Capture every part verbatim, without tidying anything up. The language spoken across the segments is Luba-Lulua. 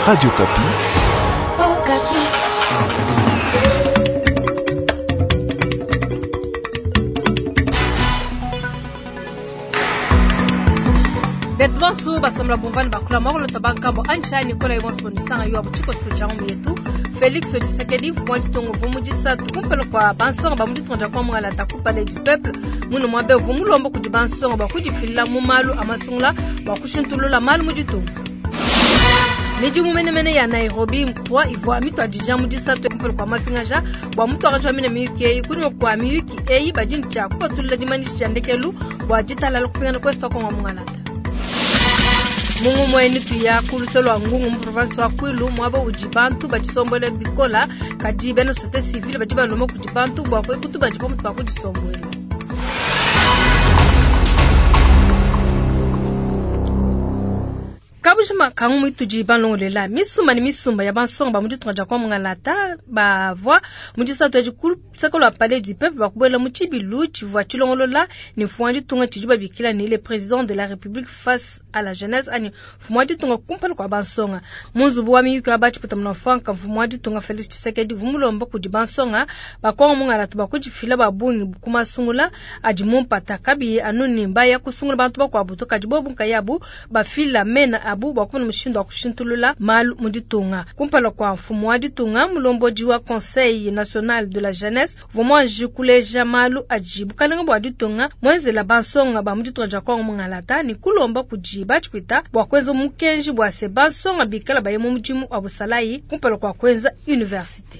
Radio Okapi. Okapi. Betu bonso basombela bumvani bakula mwakulota bankambo anjani nikola ibonso nisanga yo abuchiko sujangu yetu Félix Tshisekedi mfumu ditongo vumu disatu kumpelo kwa bansonga ba muditonga kwa mwala taku palais du peuple muno mwabe vumu lombo kudi bansonga ba kudifila mu malu amasungula ba kushintulula malu muditonga midimu menemene ya Nairobi mkwa ivwa mitwa dija mudisatu kumpelo kwa mapingaja bwa mutu akajwa mine miyuki eyi kunyuma kwa miyuki eyi badini tya kupatulula dimanisha ndekelu bwa ditalala kupingana kwesu kwa mwangalata Mungu mweni tuya kuluselwa ngungu mu province wa Kwilu mwaba udi bantu badisombole bikola kadi bena société civile badi baloma kudi bantu bwa kwekutu badi pamutu pa kudisombola. Kabujima kangu mwituji banlongolela misumba ni misumba ya bansonga ba muditunga dia kwa mungalata bavwa mudisatu ya kusakolo palais du peuple bakubwela mu tshibilu tshivua tshilongolola ni mfumu wa ditunga tshidi babikila ni le président de la république face à la jeunesse ani mfumu wa ditunga kumpala kwa bansonga munzubu wa miyuki wa batshiputa munafanka mfumu wa ditunga Félix Tshisekedi vumulomba kudi bansonga bakonga mungalata bakudifila babungi kumasungula adi mumpata kabi anuni mbaya kusungula bantu bakwabu to kadi bobu nkayabu bafila mena abu bwa mushindo wa kushintulula malu muditunga kumpala kwa mfumu wa ditunga mulombodi wa Conseil national de la jeunesse vumwanji kuleja malu ajibu kalenga bwa ditunga mwenzela bansonga ba muditunga ja kongo mungalata ni kulomba kujiba tshipita bwa kwenza mukenji bwa se bansonga bikala baye mu mudimu wa busalayi kumpala kwa kwenza université.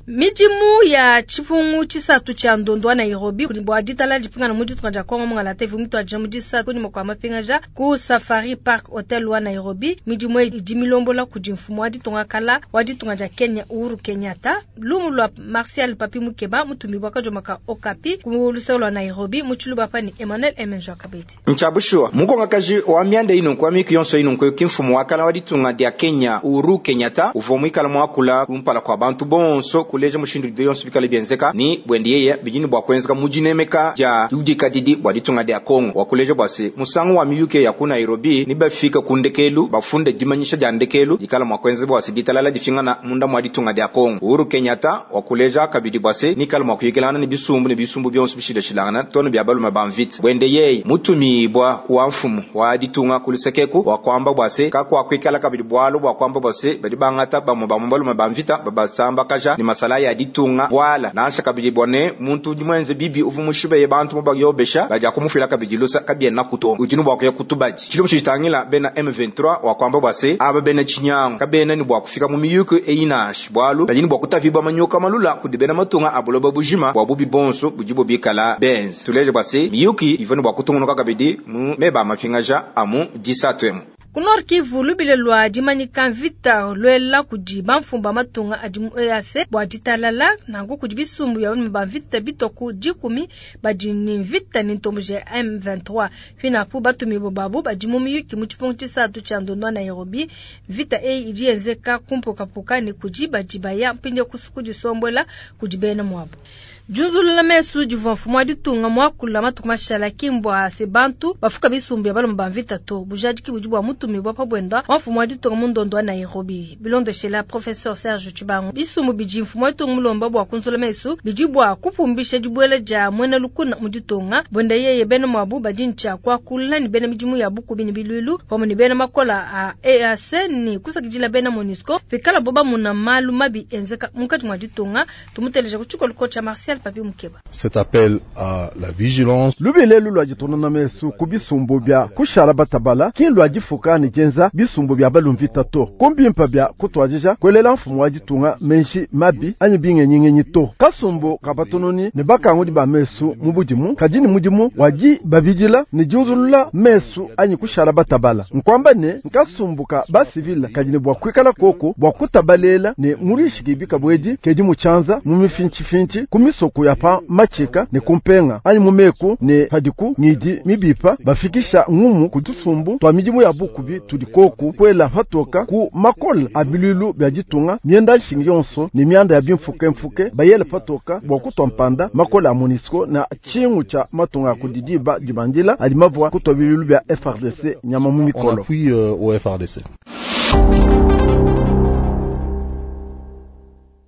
Midimu ya chifungu chisatu cha ndondo wa Nairobi bwa ditala dipingana muditunga ja Kongo mungalata ivu mitu aja mudisa kunyuma kwa mapingaja ku Safari Park Hotel wa Nairobi. Midimu idi milombola kudi mfumu wa ditunga kala wa ditunga ja Kenya Uhuru Kenyatta lumu lwa Martial Papi Mukeba mutumi bwa kajomaka Okapi ku luselo lwa Nairobi muchiluba pani Emmanuel Emenjo Kabedi Nchabushua mukonga kaji wa mianda ino kwa miki yonso ino kwa kimfumu wa kala wa ditunga dia Kenya Uhuru Kenyatta uvo mwikala mwakula kumpala kwa bantu bonso kuleja mushindu biyonso bikale byenzeka ni bwendiyeye bijini bwa kwenzeka mujinemeka ja udikadidi bwa ditunga dia Kongo wakuleja bwase musango wa miyuke ya ku Nairobi ni bafika kundekelu bafunde dimanyisha dia ndekelu dikala mwa kwenze bwase ditalala difingana munda mwa ditunga dia Kongo Uhuru Kenyatta wakuleja kabidi bwase nikala mwa kuyikelana ni bisumbu ni bisumbu byonso bishidashilangana tono bya balume bamvita bwendeyeye mutumi bwa wa mfumu wa ditunga kulusekeku wa kwamba bwase kakwa kwikala kabidi bwalo bwa kwamba bwase badi bangata bamwe bamwe balume bamvita babasamba kaja ni masala ya ditunga wala nansha kabidi bone muntu dimwenze bibi uvumushibe bantu mubayobesha baja kumufila kabidi lusa kabye nakuto utinu bwa kutubaji chilo mshitangila bena M vingt-trois wa kwamba bwase aba bena chinyango kabena ni bwa kufika mu miyuko einash bwalu bajini bwa kutavibwa manyoka malula kudibena matunga abuloba bujima bwa bubi bonso bujibo bikala benz tuleje bwase miyuki ivone bwa kutungunuka kabidi mu meba mafingaja amu disatwemu Ku Kivu lubile lwa dimanyika mvita lwela kudi bamfumba matunga adi mu E A C bwa ditalala nangu kudi bisumbu ya ba mvita bitoku dikumi badi ni mvita ni ntombo ja M vingt-trois finapu batumi bobabu badi mu miyuki mu tshipungu tshisatu tshia ndondo Nairobi mvita eyi idi yenzeka kumpukapuka ni kudi badi baya mpinde kusuku disombola kudi bena mwabo. Junzulula mesu divua mfumu wa ditunga mwakula matuku mashala kimbwa se bantu bafuka bisumbu ya balomba mvita to bujadiki budi bwa mutumi bwa pabwenda wa mfumu wa ditunga mu ndondo wa Nairobi bilondeshela professeur Serge Tshibangu bisumbu bidi mfumu wa ditunga mulomba bwa kunzula mesu bidi bwa kupumbisha dibwela dia mwena lukuna mu ditunga bwenda yeye bena mwabu badi ntsha kwakula ni bena midimu ya bukubi ni bilwilu pamwe ni bena makola a E A C ni kusakidila bena MONUSCO pikala boba muna malu mabi enzeka munkati mwa ditunga tumuteleja kuchikoliko cha Martial Papi Mukeba. Cet appel à la vigilance. Lubile lwa jitonona mesu kubisumbu bya kushala batabala kinlwa jifuka ni jenza bisumbu bya balumvita to kumbimpa bya kutwajija kwelela mfumu wa jitunga menshi mabi anyi bingenyingenyi to kasumbu kabatononi ne bakangudi ba mesu mubudimu kadini mudimu waji babidila ni junzulula mesu anyi kushala batabala nkwamba ne nkasumbuka ba civil kadini bwa kwikala koko bwa kutabalela ne murishiki bikabwedi kedi muchanza mu mifinchi finchi kumiso misoku ya pa machika ne kumpenga anyi mu meku ne padiku ngidi mibipa bafikisha ngumu ku tusumbu twa midimu ya bukubi tudi koku kwela patoka ku makola a bilulu bya ditunga mienda nshingi yonso ne mianda ya bimfuke mfuke bayele patoka bwa kutwa mpanda makola a MONUSCO na chingu cha matunga ya kudidiba dibandila adi mavwa kutwa bilulu bya F R D C nyama mu En mikolo. appui euh, au F R D C.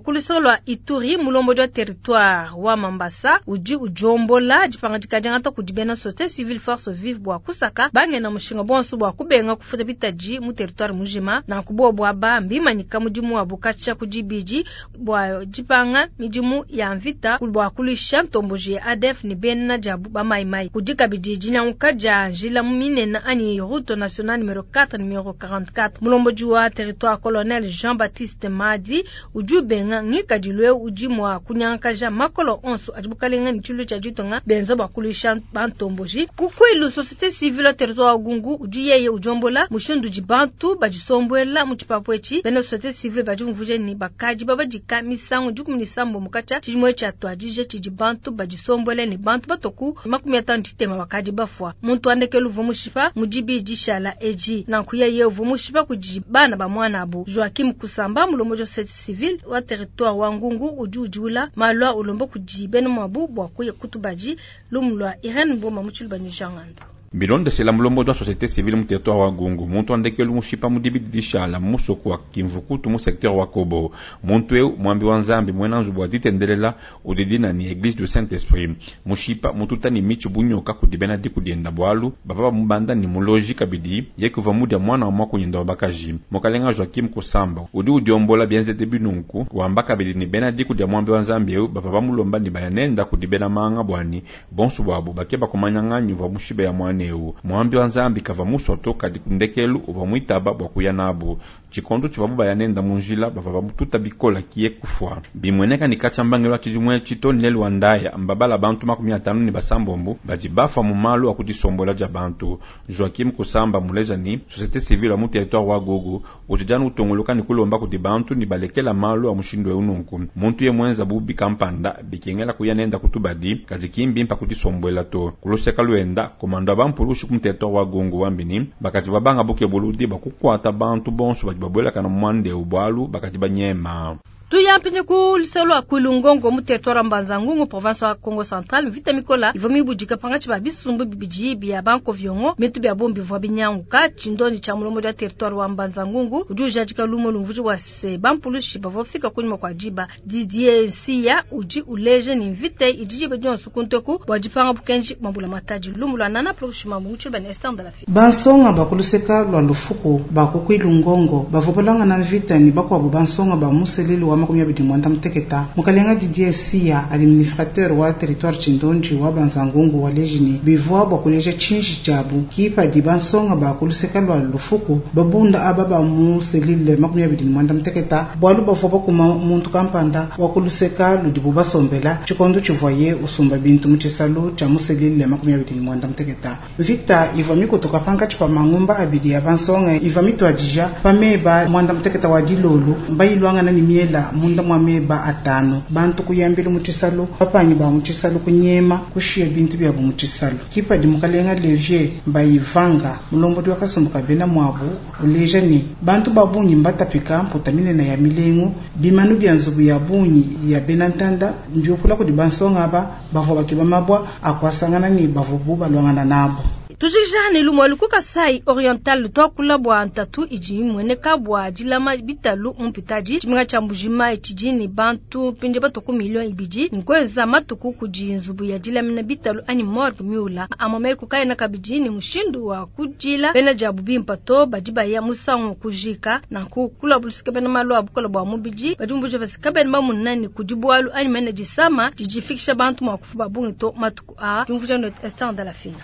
Kulusolo Ituri mulombo wa territoire wa Mambasa uji ujombola dipanga dikadiangata kudi bena société civile force vive bwa kusaka bangena mushinga bonso bwa kubenga kufuta bitaji mu territoire mujima na kubo bwa ba mbimanyika mudimu wa bukacha kudibidi bwa dipanga midimu ya mvita bwa kulisha ntomboji ya A D F ni bena jabu ba mai mai kudika bidiji nyanguka ja njila minena ani route nationale numéro quatre numéro quarante-quatre mulombo wa territoire colonel Jean-Baptiste Madi uju benga ngikadilwe uji mwa kunyankaja makolo onso ajibukalenga ni chulu cha jitonga benza bakulisha bantomboji kukwelu société civile territoire gungu uji yeye ujombola mushindu jibantu bajisombwela muchipapwechi bena société civile bajumvuje ni bakaji babajika misango jukumi ni sambo mukacha chijimwe cha twajije chijibantu bajisombwele ni bantu batoku makumi atano titema bakaji bafwa muntu andekelu vumushipa mujibi jishala eji na nkuya ye vumushipa kujibana ba mwana abo Joachim Kusamba mulomo société civile wa territoire wa Ngungu uju ujula malwa ulombo kujibene mwabu bwa kuye kutubaji lumlwa Irene Mboma muchilba ni Jangando. Bilonde sela mulombo wa société civile mu territoire wa Gungu muntu andekelu mushipa mudibi dishala musoko wa Kimvukutu mu secteur wa Kobo muntu eu mwambi wa Nzambi mwena nzubu aditendelela udidina ni église du Saint-Esprit mushipa mututa ni michi bunyoka kudibena dikudienda bwalu bava mubanda ni muloji kabidi yekuva mudia mwana wa mwakunyenda wa bakaji mokalenga Joachim Kusamba udi udiombola bienzete binunku wamba kabidi ni bena dikudia mwambi wa Nzambi eu bava bamulomba ni bayanenda kudibena manga bwani bonsu bwabu bakeba kumanyang'anyi va mushibe ya mwana eu mwambi wa Nzambi kava musoto kadi kundekelu uva mwitaba bwa kuya nabo chikondo chivabu bayanenda munjila bava bamututa bikola kiye kufwa bimweneka ni kachambangelo achijimwe chitoni lelu wandaya mbabala bantu makumi atano ni basambombo bajibafa mu malu akudisombola ja bantu Joachim Kusamba muleja ni société civile mu territoire wa Gogo utijana utongoloka ni kulomba kuti bantu ni balekela malu a mushindo eununku muntu ye mwenza bubi kampanda bikengela kuya nenda kutubadi kajikimbi mpa kutisombola to kuloseka luenda komando abampulushi ku territoire wa Gongo wambini bakati babanga buke buludi bakukwata bantu bonso badi babwela kana mwande ubwalu bakati banyema Tuyampinye ku liselo akulungongo mu territoire Mbanza-Ngungu province wa Congo Central vita mikola ivomi budika pangachi ba bisumbu bibiji bya banko vyongo mitu bya bombi vwa binyanguka chindoni cha mulomo ya territoire wa Mbanza-Ngungu ujuja jika lumo lumvuji wa se bampulushi bavofika kunyuma kwa jiba Didier Sia uji uleje ni vite ijiji bejonsu kunteku bwajipanga bukenji mabula mataji lumula nana proshima muchu ben estan de la fi Bansonga bakuluseka lwa lufuku bakukwilungongo bavopolanga na vita ni bakwabu bansonga ba museleli wa makumi abidi mwanda muteketa mukalenga Didier Sia administrateur wa territoire Chindonji wa Banzangungu wa lejini bivwa bwa kuleja chinji jabu kipa di bansonga bakuluseka lwa lufuku babunda aba ba muselile makumi abidi mwanda muteketa bwalu bavwa bakuma muntu kampanda wa kuluseka ludibu basombela chikondo chivoye usumba bintu muchisalu cha muselile makumi abidi mwanda muteketa vita ivwa mikutoka panka chipa mangumba abidi ya bansonga ivwa mitwadija pameba mwanda muteketa wa dilolo mbayilwangana ni miela munda mwa meba atano bantu kuyambila muchisalu bapanyi ba muchisalu kunyema kushiya bintu byabu muchisalu kipa di mukalenga levier mbayivanga mulombodi wakasumbuka bena mwabu uleja ni bantu babunyi mbatapika mputa minene ya milengu bimanu bya nzubu ya bunyi ya bena ntanda mbyukula kudi bansonga aba bavua bakiba mabwa akwasangana ni bavubu balwangana nabo. Tujijane lumwe lukuka sai oriental twakula bwa ntatu iji mweneka bwa jilama bitalu mpitaji chiminga cha mbujima ichijini bantu pinje batoku milioni ibiji nkweza matuku kujinzubu ya jilamina bitalu ani morgue miula amame kukaye na kabijini mushindu wa kujila bena jabu bimpato bajiba ya musango kujika na kukula bulusika bena malu abukola bwa mubiji bajumbuje basika bena bamunani kujibwalu ani mena jisama jijifikisha bantu mwa kufuba bungi to matuku a jumvuja not estan de la fina.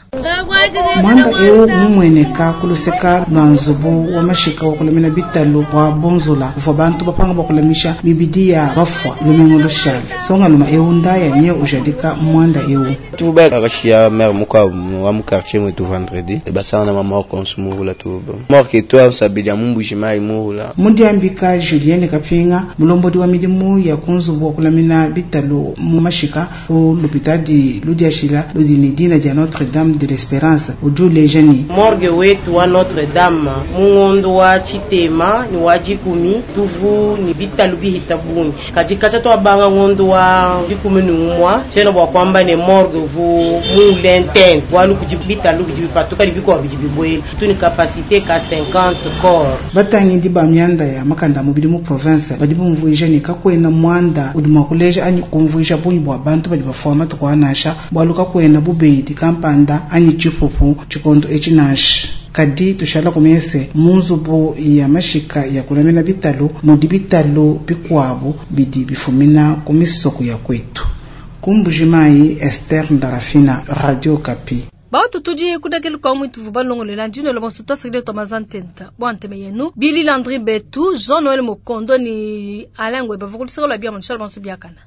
Mwanda eu mumweneka kuluseka lwa nzubu wa mashika wa kulamina bitalu wa bonzola uvwa bantu bapanga bakulamisha mibidi ya bafwa lumingu lushale songa luma eu ndaya nye ujadika mwanda eu tuba akashia mère muka wa mu quartier mwetu vendredi basana na mama konsumurula tuba morke to sabija mumbushima imurula mudiambika Julienne Kapinga mulombodi wa midimu ya kunzubu wa kulamina bitalu mu mashika ku lupitadi ludiashila ludini dina dia Notre Dame de l'Espérance ujule jeni morgue wetu wa Notre Dame mungondo wa chitema ni wa jikumi tuvu ni bitalu bihita bungi kajikacha twabanga ngondo wa jikumi ni umwa chena bwa kwamba ne morgue vu mulenten walu kujibitalu bijibipatuka libiko bijibibwela tu ni capacité ka cinquante corps batangindi ba myanda ya makanda mubili mu province badi bumvuija ne kakwena mwanda udi mua kuleja anyi kumvuija bungi bua bantu badi bafua matuku anasha bwalu kakwena bubedi kampanda anyi tshipupu tshikondo etshi nansha kadi tushala kumese munzubu ya mashika ya kulamina bitalu mudi bitalu bikuabu bidi bifumina ku misoko ya kwetu. Kumbujimai Esther Ndarafina, Radio Kapi. Bautu tudi kudakelu kwa mwitu vubalongolela ndino lo bonso tasakile to mazantenta bwanteme yenu Billy Landry Betu Jean Noël Mokondo ni Alain Ngweba vokulisaka la bia mon bonso biakana.